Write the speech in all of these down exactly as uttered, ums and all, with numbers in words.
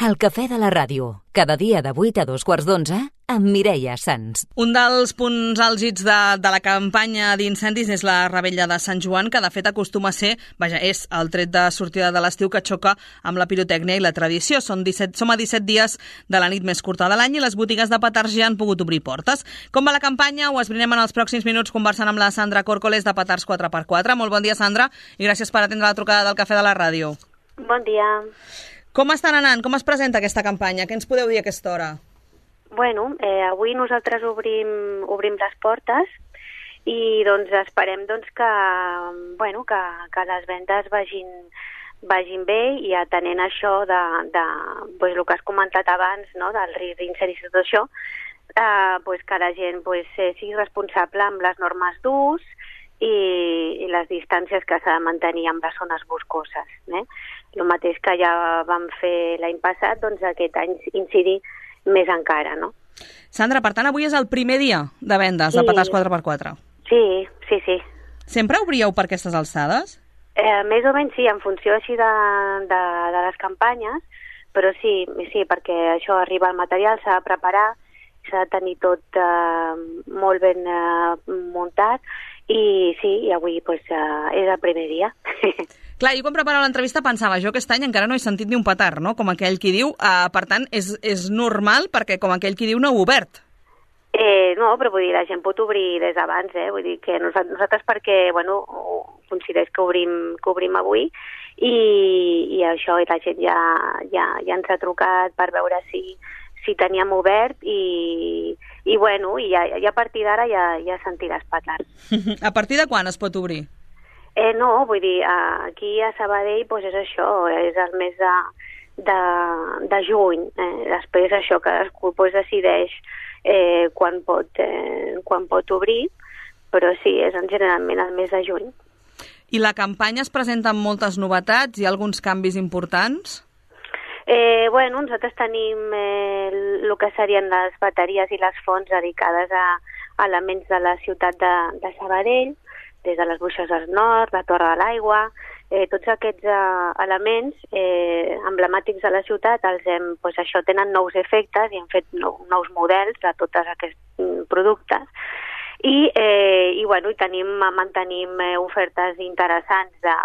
El cafè de la ràdio, cada dia de vuit a dos quarts d'onze, amb Mireia Sans. Un dels punts àlgids de, de la campanya d'incendis és la Revetlla de Sant Joan, que de fet acostuma a ser, vaja, és el tret de sortida de l'estiu que xoca amb la pirotècnia i la tradició. Són disset, som a disset dies de la nit més curta de l'any i les botigues de petards ja han pogut obrir portes. Com va la campanya? Ho esbrinem en els pròxims minuts conversant amb la Sandra Córcoles de Petards quatre per quatre. Molt bon dia, Sandra, i gràcies per atendre la trucada del cafè de la ràdio. Bon dia. Com estan anant? Com es presenta aquesta campanya? Què ens podeu dir a aquesta hora? Bueno, eh, avui nosaltres obrim, obrim les portes i doncs esperem doncs, que, bueno, que, que les vendes vagin, vagin bé i atenent això de, de pues, el que has comentat abans, no, del risc d'incendis i tot això, eh, pues, que la gent pues, eh, sigui responsable amb les normes d'ús i, i les distàncies que s'ha de mantenir amb les zones boscoses. Eh? El mateix que ja vam fer l'any passat, doncs aquest any incidir més encara, no? Sandra, per tant, avui és el primer dia de vendes sí. de Petards quatre per quatre. Sí, sí, sí. Sempre obríeu per aquestes alçades? Eh, més o menys sí, en funció així de, de, de les campanyes, però sí, sí, perquè això arriba al material, s'ha de preparar, s'ha de tenir tot eh, molt ben eh, muntat, i sí, i avui pues, uh, és el primer dia. Clar, jo quan preparava l'entrevista pensava, jo aquest any encara no he sentit ni un petard, no? Com aquell qui diu, uh, per tant, és, és normal perquè com aquell qui diu no heu obert. Eh, no, però vull dir, la gent pot obrir des d'abans, eh? Vull dir que nosaltres, nosaltres perquè, bueno, considerés que obrim, que obrim avui i, i això, i la gent ja, ja, ja ens ha trucat per veure si, si teníem obert i, i bueno, i ja, ja a partir d'ara ja, ja sentiràs petards. A partir de quan es pot obrir? Eh, no, vull dir, aquí a Sabadell pues és això, és el mes de, de, de juny. Eh? Després això, cadascú pues, decideix eh, quan, pot, eh, quan pot obrir, però sí, és generalment el mes de juny. I la campanya es presenta amb moltes novetats? Hi ha alguns canvis importants? Eh, bueno, nosaltres tenim eh, el que serien les bateries i les fonts dedicades a, a elements de la ciutat de, de Sabadell, des de les Bruixes del Nord, la Torre de l'Aigua, eh, tots aquests eh, elements eh, emblemàtics de la ciutat, els hem, pues, això tenen nous efectes i hem fet nou, nous models de tots aquests productes. I, eh, i, bueno, i tenim, mantenim eh, ofertes interessants de,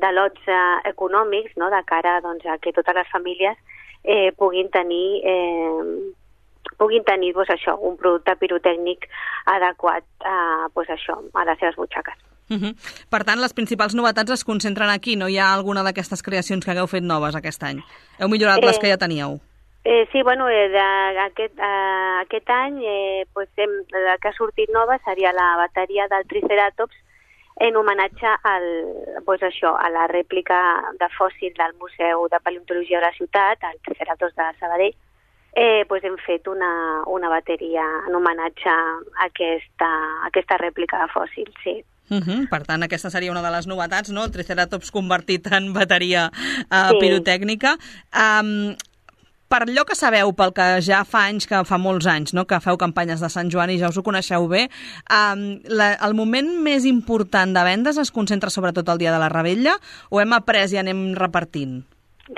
de lots eh, econòmics, no?, de cara doncs, a que totes les famílies eh, puguin tenir... Eh, puguin tenir pues, això, un producte pirotècnic adequat a, pues, això, a les seves butxaques. Uh-huh. Per tant, les principals novetats es concentren aquí, no hi ha alguna d'aquestes creacions que hagueu fet noves aquest any? Heu millorat eh, les que ja teníeu? Eh, sí, bueno, eh, de, aquest, eh, aquest any eh, pues, hem, la que ha sortit nova seria la bateria del Triceratops en homenatge al, pues, això, a la rèplica de fòssil del Museu de Paleontologia de la ciutat, el Triceratops de Sabadell. Eh, pues hem fet una, una bateria en homenatge a aquesta, a aquesta rèplica de fòssil, sí. Uh-huh. Per tant, aquesta seria una de les novetats, no? El Triceratops convertit en bateria uh, sí. pirotècnica. Um, per allò que sabeu, pel que ja fa anys, que fa molts anys, no?, que feu campanyes de Sant Joan i ja us ho coneixeu bé, um, la, el moment més important de vendes es concentra sobretot el dia de la Revetlla o hem après i anem repartint?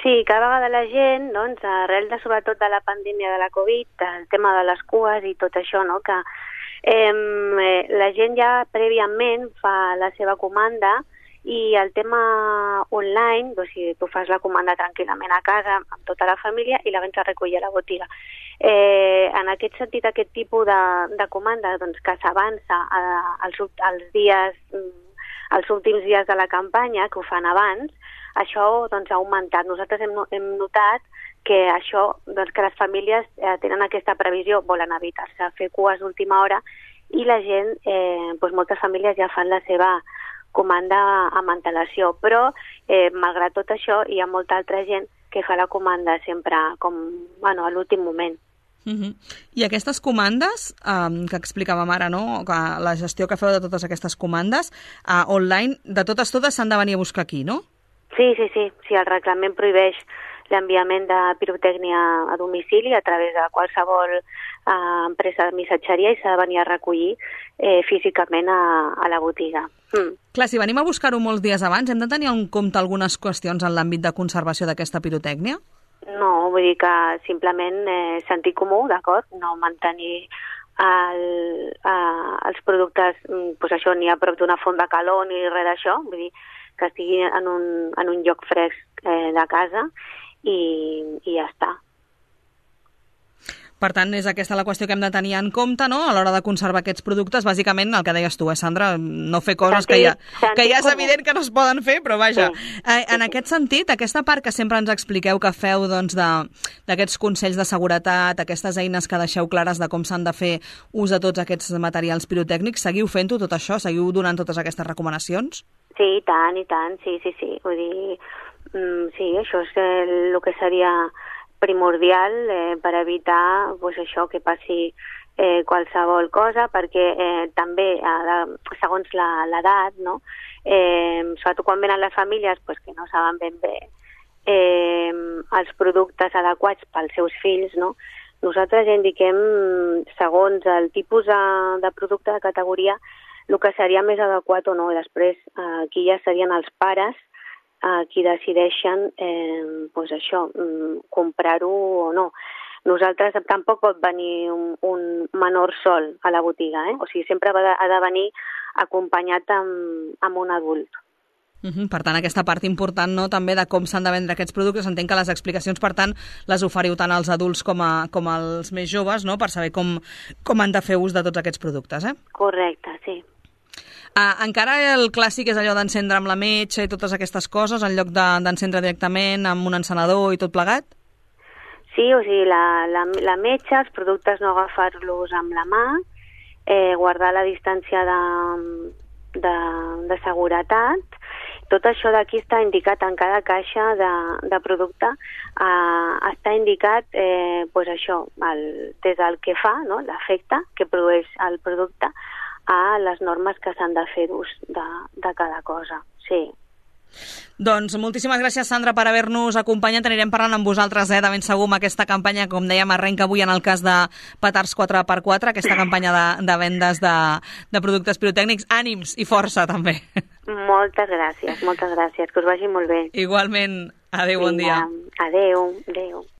Sí, cada vegada la gent, doncs, arrel de sobretot de la pandèmia de la Covid, el tema de les cues i tot això, no?, que eh, la gent ja prèviament fa la seva comanda i el tema online, doncs, si tu fas la comanda tranquil·lament a casa amb tota la família i la vens a recollir a la botiga. Eh, en aquest sentit, aquest tipus de, de comanda doncs, que s'avança als, als dies, als últims dies de la campanya, que ho fan abans, això doncs, ha augmentat. Nosaltres hem, hem notat que això, doncs, que les famílies eh, tenen aquesta previsió, volen evitar-se fer cues d'última hora i la gent, eh, doncs, moltes famílies ja fan la seva comanda amb antelació, però eh, malgrat tot això hi ha molta altra gent que fa la comanda sempre com, bueno, a l'últim moment. Uh-huh. I aquestes comandes um, que explicàvem ara, no?, que la gestió que feu de totes aquestes comandes uh, online, de totes totes s'han de venir a buscar aquí, no? Sí, sí, sí, sí, el reglament prohibeix l'enviament de pirotècnia a domicili a través de qualsevol eh, empresa de missatgeria i s'ha de venir a recollir eh, físicament a, a la botiga. Mm. Clar, si venim a buscar-ho molts dies abans, hem de tenir en compte algunes qüestions en l'àmbit de conservació d'aquesta pirotècnia? No, vull dir que simplement eh, sentir comú, d'acord? No mantenir el, eh, els productes, pues això, ni a prop d'una font de calor ni res d'això, vull dir que estigui en un, en un lloc fresc eh, de casa i, i ja està. Per tant, és aquesta la qüestió que hem de tenir en compte, no?, a l'hora de conservar aquests productes. Bàsicament, el que deies tu, eh, Sandra, no fer coses que ja, que ja és evident que no es poden fer, però vaja. Sí. Eh, en aquest sentit, aquesta part que sempre ens expliqueu que feu doncs, d'aquests consells de seguretat, aquestes eines que deixeu clares de com s'han de fer ús de tots aquests materials pirotècnics, seguiu fent-ho tot això? Seguiu donant totes aquestes recomanacions? Sí, i tant, i tant, sí, sí, sí. Vull dir, mm, sí, això és el, el que seria primordial eh, per evitar pues, això que passi eh, qualsevol cosa, perquè eh, també, eh, segons l'edat, no? eh, sobretot quan venen les famílies pues, que no saben ben bé eh, els productes adequats pels seus fills, no? Nosaltres ja indiquem, segons el tipus de, de producte de categoria, el que seria més adequat o no. Després, eh, aquí ja serien els pares a qui decideixen eh, pues això, comprar-ho o no. Nosaltres tampoc pot venir un, un menor sol a la botiga, eh? O sigui, sempre ha de, ha de venir acompanyat amb, amb un adult. Uh-huh. Per tant, aquesta part important, no?, també de com s'han de vendre aquests productes. Entenc que les explicacions, per tant, les oferiu tant als adults com, a, com als més joves, no?, per saber com, com han de fer ús de tots aquests productes, eh? Correcte, sí. Ah, encara el clàssic és allò d'encendre amb la metxa i totes aquestes coses, en lloc d'encendre de, directament amb un encenedor i tot plegat? Sí, o sigui, la, la, la metxa, els productes no agafar-los amb la mà, eh, guardar la distància de, de, de seguretat. Tot això d'aquí està indicat en cada caixa de, de producte, eh, està indicat eh, pues això, el, des del que fa, no?, l'efecte que produeix el producte, a les normes que s'han de fer d'ús de, de cada cosa, sí. Doncs moltíssimes gràcies, Sandra, per haver-nos acompanyat. Anirem parlant amb vosaltres, eh, de ben segur, amb aquesta campanya, com dèiem, arrenca avui en el cas de Petards quatre per quatre, aquesta campanya de, de vendes de, de productes pirotècnics. Ànims i força, també. Moltes gràcies, moltes gràcies, que us vagi molt bé. Igualment. Adéu, bon dia. Adéu, adéu.